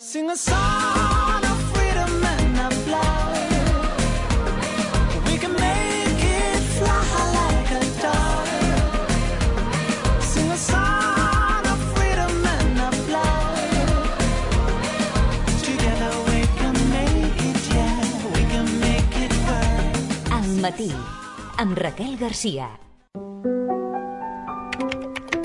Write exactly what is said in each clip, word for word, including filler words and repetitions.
Sing a song of freedom and of love. We can make it fly like a dove. Sing a song of freedom and of love. Together we can make it, yeah, we can make it work. Al matí, amb Raquel García.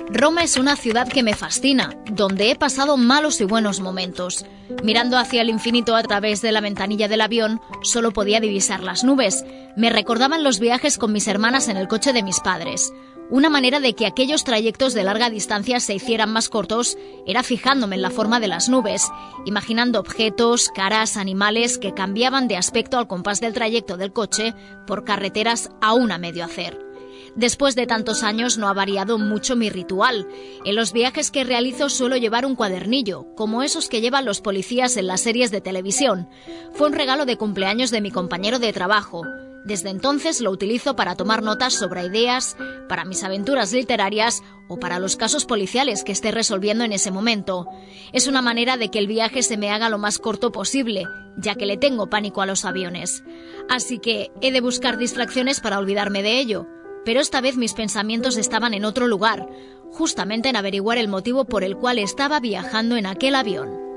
Roma es una ciudad que me fascina, donde he pasado malos y buenos momentos. Mirando hacia el infinito a través de la ventanilla del avión, solo podía divisar las nubes. Me recordaban los viajes con mis hermanas en el coche de mis padres. Una manera de que aquellos trayectos de larga distancia se hicieran más cortos era fijándome en la forma de las nubes, imaginando objetos, caras, animales que cambiaban de aspecto al compás del trayecto del coche por carreteras aún a medio hacer. Después de tantos años no ha variado mucho mi ritual. En los viajes que realizo suelo llevar un cuadernillo, como esos que llevan los policías en las series de televisión. Fue un regalo de cumpleaños de mi compañero de trabajo. Desde entonces lo utilizo para tomar notas sobre ideas, para mis aventuras literarias o para los casos policiales que esté resolviendo en ese momento. Es una manera de que el viaje se me haga lo más corto posible, ya que le tengo pánico a los aviones. Así que he de buscar distracciones para olvidarme de ello. Pero esta vez mis pensamientos estaban en otro lugar, justamente en averiguar el motivo por el cual estaba viajando en aquel avión.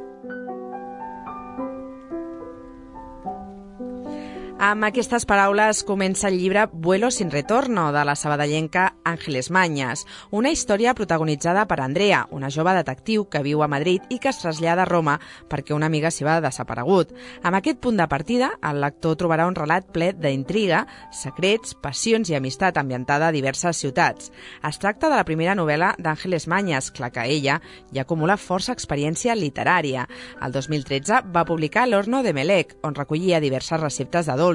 Amb aquestes paraules comença el llibre Vuelo sin retorno, de la sabadellenca Ángeles Mañas, una història protagonitzada per Andrea, una jove detectiu que viu a Madrid i que es trasllada a Roma perquè una amiga s'hi va desaparegut. Amb aquest punt de partida, el lector trobarà un relat ple d'intriga, secrets, passions i amistat ambientada a diverses ciutats. Es tracta de la primera novel·la d'Ángeles Mañas, clar que ella ja acumula força experiència literària. El dos mil tretze va publicar L'Horno de Melec, on recollia diverses receptes de dolços,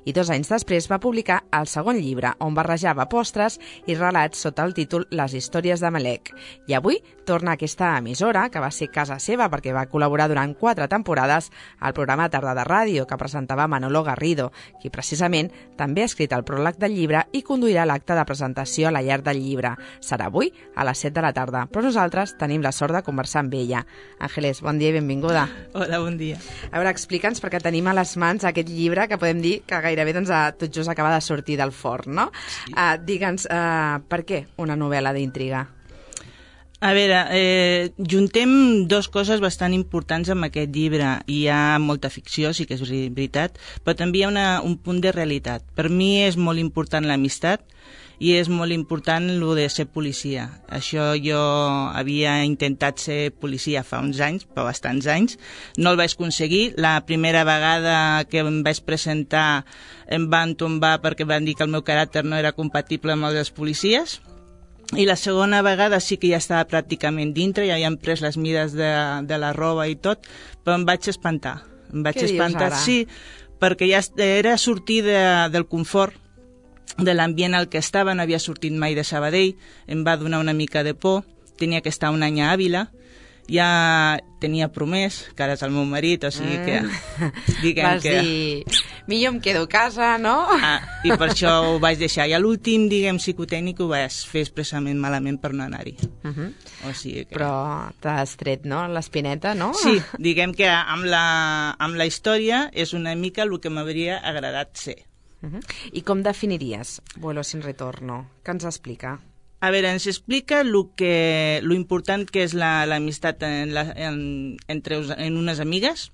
i dos anys després va publicar el segon llibre, on barrejava postres i relats sota el títol Les històries de Melec. I avui torna a aquesta emissora, que va ser casa seva perquè va col·laborar durant quatre temporades al programa Tarda de Ràdio, que presentava Manolo Garrido, qui precisament també ha escrit el pròleg del llibre i conduirà l'acte de presentació a la llar del llibre. Serà avui a les set de la tarda, però nosaltres tenim la sort de conversar amb ella. Àngeles, bon dia i benvinguda. Hola, bon dia. A veure, explica'ns, perquè tenim a les mans aquest llibre que podem dir que gairebé doncs, tot just acaba de sortir del forn, no? Sí. Uh, Digue'ns, uh, per què una novel·la d'intriga? A veure, eh, juntem dues coses bastant importants amb aquest llibre. Hi ha molta ficció, sí que és veritat, però també hi ha una, un punt de realitat. Per mi és molt important l'amistat i és molt important el de ser policia. Això jo havia intentat ser policia fa uns anys, fa bastants anys. No el vaig aconseguir. La primera vegada que em vaig presentar em van tombar perquè van dir que el meu caràcter no era compatible amb el dels policies. I la segona vegada sí que ja estava pràcticament dintre, ja havien pres les mides de, de la roba i tot, però em vaig espantar. Em vaig Què espantar, dius ara? sí, perquè ja era sortir de, del confort, de l'ambient al que estava, no havia sortit mai de Sabadell, em va donar una mica de por, tenia que estar un any a Àvila, ja tenia promès, que ara és el meu marit, o sigui que... Diguem Vas que... dir, millor em quedo a casa, no? Ah, i per això ho vaig deixar. I a l'últim, diguem, psicotècnic ho vaig fer expressament malament per no anar-hi. Uh -huh. O sigui que... Però t'has tret, no?, l'espineta, no? Sí, diguem que amb la, amb la història és una mica el que m'hauria agradat ser. Uh -huh. I com definiries Vuelo sin retorno? Què ens explica? A veure, ens explica lo que, lo important que és l'amistat la, en la, en, entre en unes amigues,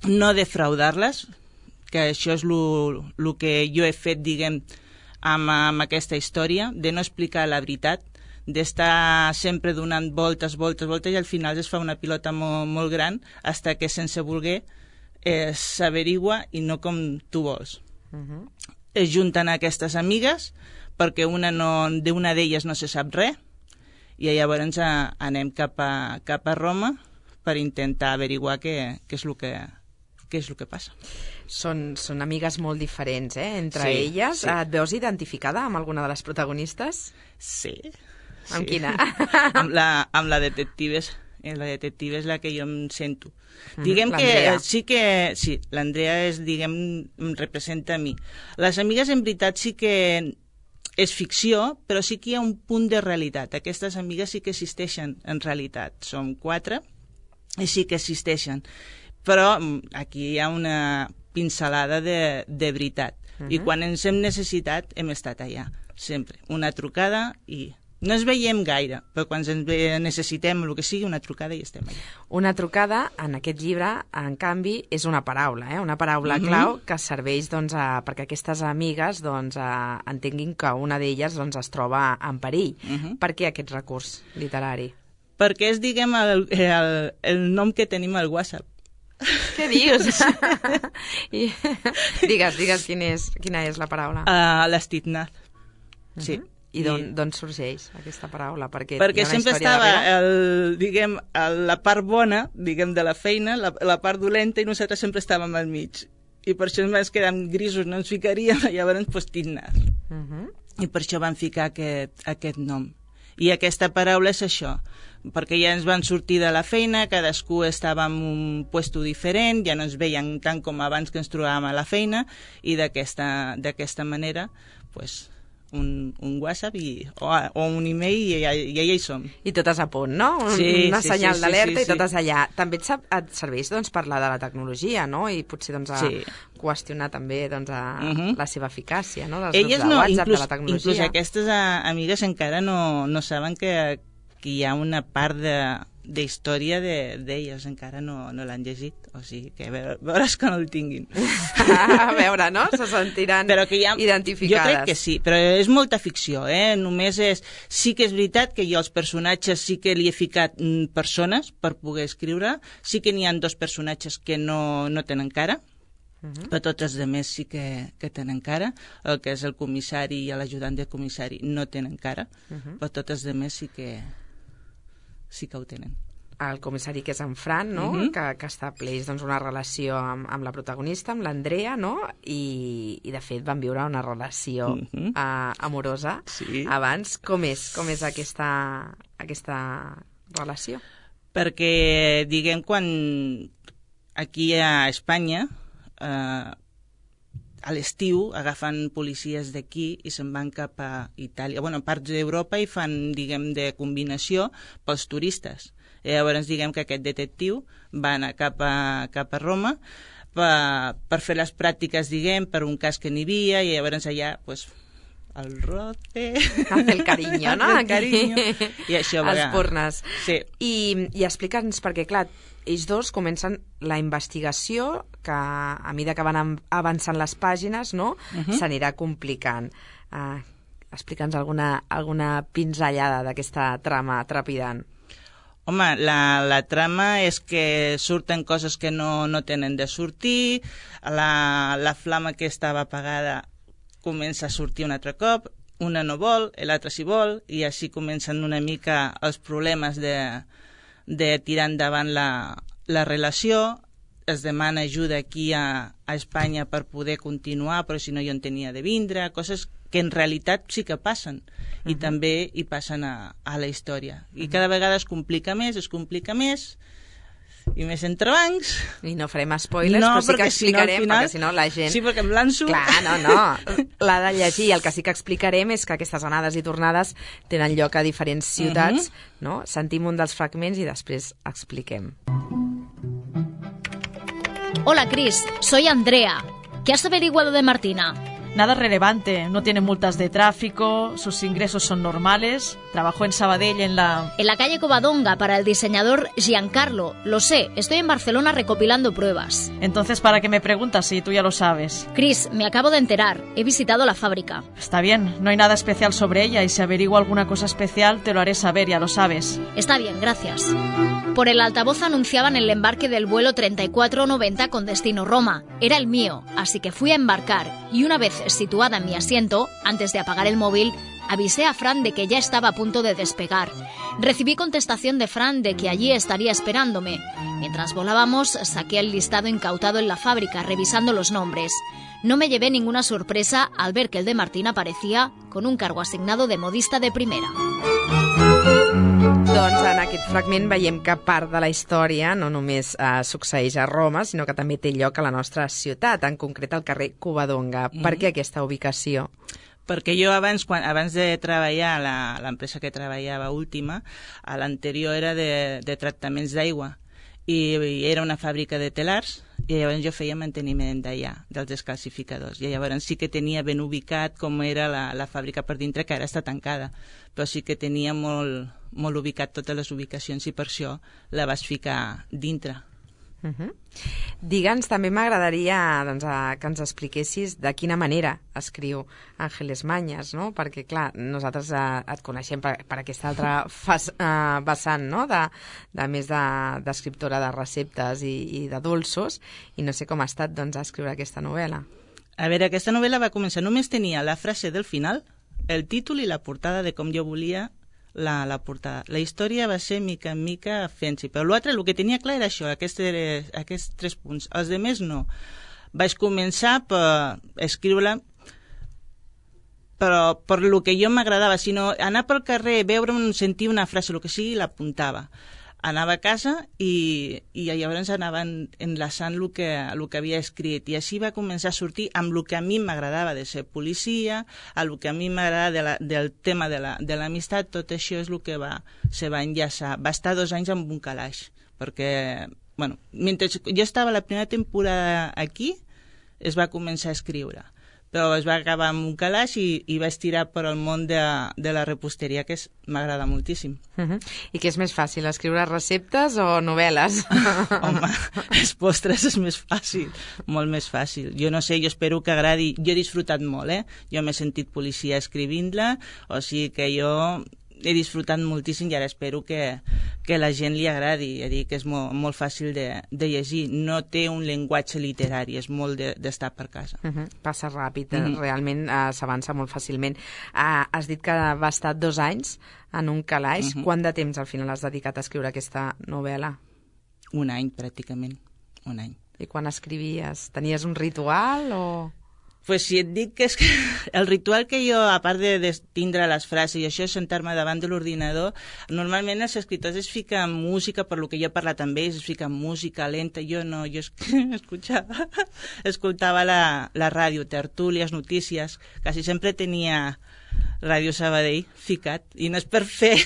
no defraudar-les, que això és el que jo he fet, diguem, amb, amb aquesta història, de no explicar la veritat, d'estar sempre donant voltes, voltes, voltes, i al final es fa una pilota molt, molt gran, fins que sense voler eh, s'averigua i no com tu vols. Uh-huh. Es junten aquestes amigues, perquè una no, d'una d'elles no se sap res, i llavors a, anem cap a, cap a Roma per intentar averiguar què, què, és el que, què és el que passa. Són, són amigues molt diferents, eh?, entre sí, elles. Sí. Et veus identificada amb alguna de les protagonistes? Sí. Amb sí. quina? amb, la, amb la detective, la detective és la que jo em sento. Mm, diguem l'Andrea. que sí que... Sí, l'Andrea és, diguem, em representa a mi. Les amigues, en veritat, sí que... és ficció, però sí que hi ha un punt de realitat. Aquestes amigues sí que existeixen en realitat. Som quatre i sí que existeixen. Però aquí hi ha una pincelada de, de veritat. Uh-huh. I quan ens hem necessitat, hem estat allà, sempre. Una trucada i... No ens veiem gaire, però quan ens necessitem el que sigui, una trucada i estem allà. Una trucada, en aquest llibre, en canvi, és una paraula, eh? Una paraula uh-huh. clau que serveix doncs, a, perquè aquestes amigues doncs, a, entenguin que una d'elles doncs, es troba en perill. Uh-huh. Per què aquest recurs literari? Perquè és, diguem, el, el, el nom que tenim al WhatsApp. Què dius? I, digues, digues quin és, quina és la paraula. Uh, L'estitnat, uh-huh. sí. I d'on sorgeix aquesta paraula? Perquè, Perquè sempre estava, el, diguem, el, la part bona, diguem, de la feina, la, la part dolenta, i nosaltres sempre estàvem al mig. I per això ens quedem grisos, no ens ficaríem, i llavors pues, tinnar. Uh-huh. I per això van ficar aquest, aquest nom. I aquesta paraula és això, perquè ja ens van sortir de la feina, cadascú estava en un puesto diferent, ja no ens veien tant com abans que ens trobàvem a la feina, i d'aquesta d'aquesta manera, pues, Un, un WhatsApp i, o, o un email i ja, ja hi som. I totes a punt, no? Un, sí, una sí, senyal sí, d'alerta sí, sí, i totes allà. També et, et serveix doncs, parlar de la tecnologia, no? I potser doncs, a sí. qüestionar també doncs, a uh-huh. la seva eficàcia, no? Dels Elles grups de no, WhatsApp, inclús, de la tecnologia. Inclús aquestes a, amigues encara no, no saben que, que hi ha una part de d'història d'elles, de, encara no, no l'han llegit, o sigui que veure, veuràs que no el tinguin. A veure, no? Se sentiran però que ha, identificades. Jo crec que sí, però és molta ficció, eh? Només és... Sí que és veritat que jo als personatges sí que li he ficat mm, persones per poder escriure, sí que n'hi ha dos personatges que no, no tenen cara, uh-huh. però tots els altres sí que, que tenen cara, el que és el comissari i l'ajudant del comissari no tenen cara, uh-huh. però tots els altres sí que... sí que ho tenen. El comissari, que és en Fran, no? Uh-huh. que, que estableix doncs, una relació amb, amb la protagonista, amb l'Andrea, no? I, i de fet van viure una relació uh-huh. uh, amorosa sí. abans. Com és, com és aquesta, aquesta relació? Perquè, diguem, quan aquí a Espanya, eh, a l'estiu agafen policies d'aquí i se'n van cap a Itàlia, bueno, parts d'Europa, i fan, diguem, de combinació pels turistes. I llavors, diguem que aquest detectiu va anar cap a, cap a Roma per, per fer les pràctiques, diguem, per un cas que n'hi havia, i llavors allà, pues, el roce... El carinyo, no? El carinyo. I això, els pornes. Sí. I, i explica'ns, perquè, clar, ells dos comencen la investigació que a mesura que van avançant les pàgines, no? Uh-huh. s'anirà complicant. Uh, Explica'ns alguna, alguna pinzellada d'aquesta trama trepidant. Home, la, la trama és que surten coses que no, no tenen de sortir, la, la flama que estava apagada comença a sortir un altre cop, una no vol, l'altra sí vol, i així comencen una mica els problemes de, de tirar endavant la, la relació. Es demana ajuda aquí a, a Espanya per poder continuar, però si no jo en tenia de vindre, coses que en realitat sí que passen, uh-huh. i també hi passen a, a la història. I cada vegada es complica més, es complica més, i més entrebancs. I no farem spoilers, no, però sí que explicarem, si no, final, perquè si no la gent... Sí, perquè em lanço... Clar, no, no, l'ha de llegir. El que sí que explicarem és que aquestes anades i tornades tenen lloc a diferents ciutats, uh-huh. no? Sentim un dels fragments i després expliquem. Hola, Cris, soy Andrea. ¿Qué has averiguado de Martina? Nada relevante, no tiene multas de tráfico, sus ingresos son normales, trabajó en Sabadell en la... En la calle Covadonga para el diseñador Giancarlo, lo sé, estoy en Barcelona recopilando pruebas. Entonces, ¿para qué me preguntas si tú ya lo sabes? Cris, me acabo de enterar, he visitado la fábrica. Está bien, no hay nada especial sobre ella y si averiguo alguna cosa especial te lo haré saber, ya lo sabes. Está bien, gracias. Por el altavoz anunciaban el embarque del vuelo treinta y cuatro noventa con destino Roma. Era el mío, así que fui a embarcar y una vez situada en mi asiento, antes de apagar el móvil, avisé a Fran de que ya estaba a punto de despegar. Recibí contestación de Fran de que allí estaría esperándome. Mientras volábamos, saqué el listado incautado en la fábrica, revisando los nombres. No me llevé ninguna sorpresa al ver que el de Martín aparecía con un cargo asignado de modista de primera. Doncs en aquest fragment veiem que part de la història no només eh, succeeix a Roma, sinó que també té lloc a la nostra ciutat, en concret al carrer Covadonga. Mm. Per què aquesta ubicació? Perquè jo abans, quan, abans de treballar a l'empresa que treballava última, a l'anterior era de, de tractaments d'aigua. i, i era una fàbrica de telars, i llavors jo feia manteniment d'allà, dels descalcificadors, i llavors sí que tenia ben ubicat com era la, la fàbrica per dintre, que ara està tancada, però sí que tenia molt, molt ubicat totes les ubicacions i per això la vas ficar dintre. Uh -huh. Digue'ns, també m'agradaria doncs, a, que ens expliquessis de quina manera escriu Ángeles Mañas, no? Perquè, clar, nosaltres eh, et coneixem per, per aquesta altra fas, eh, vessant, no? de, de més d'escriptora de, de receptes i, i de dolços, i no sé com ha estat doncs, escriure aquesta novel·la. A veure, aquesta novel·la va començar, només tenia la frase del final, el títol i la portada de com jo volia La, la portada. La història va ser mica en mica fent-s'hi, però l'altre, el que tenia clar era això, aquests, aquests tres punts. Els altres no. Vaig començar per escriure però per lo que jo m'agradava, sinó anar pel carrer, veure, sentir una frase, el que sigui, l'apuntava. Anava a casa i, i llavors anava enlaçant el que, el que havia escrit, i així va començar a sortir amb el que a mi m'agradava de ser policia, el que a mi m'agradava de la, del tema de l'amistat, la, tot això és el que va, se va enllaçar. Va estar dos anys amb un calaix, perquè, bueno, mentre jo estava la primera temporada aquí, es va començar a escriure, però es va acabar amb un calaix i, i vaig tirar per al món de, de la reposteria, que m'agrada moltíssim. Uh -huh. I què és més fàcil, escriure receptes o novel·les? Home, els postres és més fàcil, molt més fàcil. Jo no sé, jo espero que agradi. Jo he disfrutat molt, eh? Jo m'he sentit policia escrivint-la, o sigui que jo he disfrutat moltíssim i ara espero que, que la gent li agradi. He dit que és molt, molt fàcil de, de llegir. No té un llenguatge literari, és molt d'estar de, per casa. Uh -huh. Passa ràpid, uh -huh. realment uh, s'avança molt fàcilment. Uh, has dit que va estar dos anys en un calaix. Uh -huh. Quant de temps al final has dedicat a escriure aquesta novel·la? Un any, pràcticament. Un any. I quan escrivies? Tenies un ritual o...? Pues si et dic que és que el ritual que jo, a part de, de tindre les frases i això, sentar-me davant de l'ordinador, normalment els escriptors es fiquen música, per lo que jo he parlat amb ells, es fiquen música lenta, jo no, jo escuchava, escoltava la, la ràdio, tertúlies, notícies, quasi sempre tenia Ràdio Sabadell ficat, i no és per fer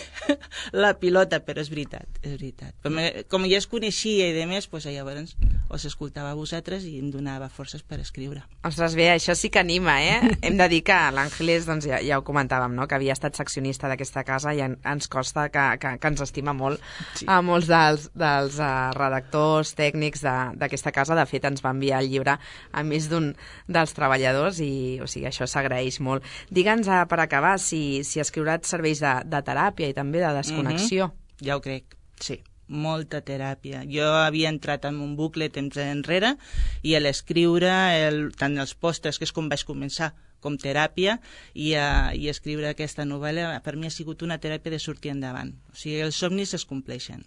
la pilota, però és veritat, és veritat. Com, com ja es coneixia i de més, doncs llavors us escoltava a vosaltres i em donava forces per escriure. Ostres, bé, això sí que anima, eh? Hem de dir que l'Àngeles, doncs ja, ja ho comentàvem, no?, que havia estat seccionista d'aquesta casa i en, ens costa que, que, que ens estima molt sí. a molts dels, dels uh, redactors tècnics d'aquesta casa. De fet, ens va enviar el llibre a més d'un dels treballadors i, o sigui, això s'agraeix molt. Digue'ns, uh, per acabar, si, si escriure et serveix de, de teràpia i també de desconnexió. Mm-hmm. Ja ho crec, sí. Molta teràpia. Jo havia entrat en un bucle temps enrere i a l'escriure, el, tant els postres, que és com vaig començar, com teràpia, i, a, i escriure aquesta novel·la per mi ha sigut una teràpia de sortir endavant. O sigui, els somnis es compleixen.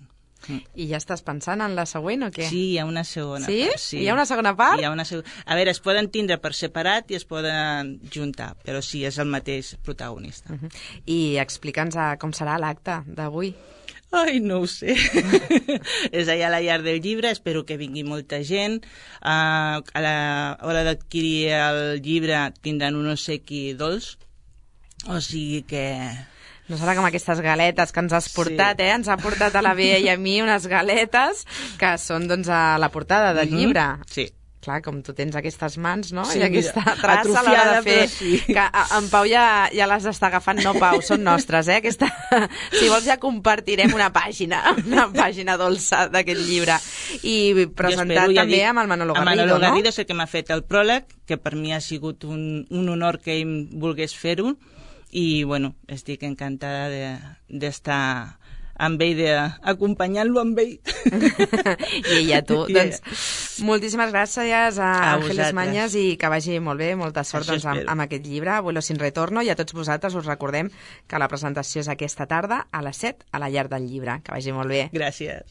Mm. I ja estàs pensant en la següent o què? Sí, hi ha una segona sí? part. Sí? Hi ha una segona part? Hi ha una seg... A veure, es poden tindre per separat i es poden juntar, però sí, és el mateix protagonista. Uh-huh. I explica'ns com serà l'acte d'avui. Ai, no ho sé. És allà a la llar del llibre, espero que vingui molta gent. Uh, a l'hora d'adquirir el llibre tindran un obsequi dolç, o sigui que... No serà com aquestes galetes que ens has portat, sí. eh? Ens ha portat a la Bea i a mi unes galetes que són, doncs, a la portada del mm-hmm. llibre. Sí. Clar, com tu tens aquestes mans, no? Sí, I aquesta traça a l'hora de fer... Sí. Que en Pau ja, ja les està agafant. No, Pau, són nostres, eh? Aquesta... Si vols ja compartirem una pàgina, una pàgina dolça d'aquest llibre. I presentat espero, ja també dic, amb el Manolo Garrido, no? Manolo Garrido no? és el que m'ha fet el pròleg, que per mi ha sigut un, un honor que ell volgués fer-ho. I, bueno, estic encantada d'estar de, amb ell, d'acompanyar-lo amb ell. I ella tu. Yeah. Doncs moltíssimes gràcies a, a Ángeles Mañas i que vagi molt bé, molta sort doncs, amb, amb aquest llibre, Vuelo sin retorno, i a tots vosaltres us recordem que la presentació és aquesta tarda a les set a la llar del llibre. Que vagi molt bé. Gràcies.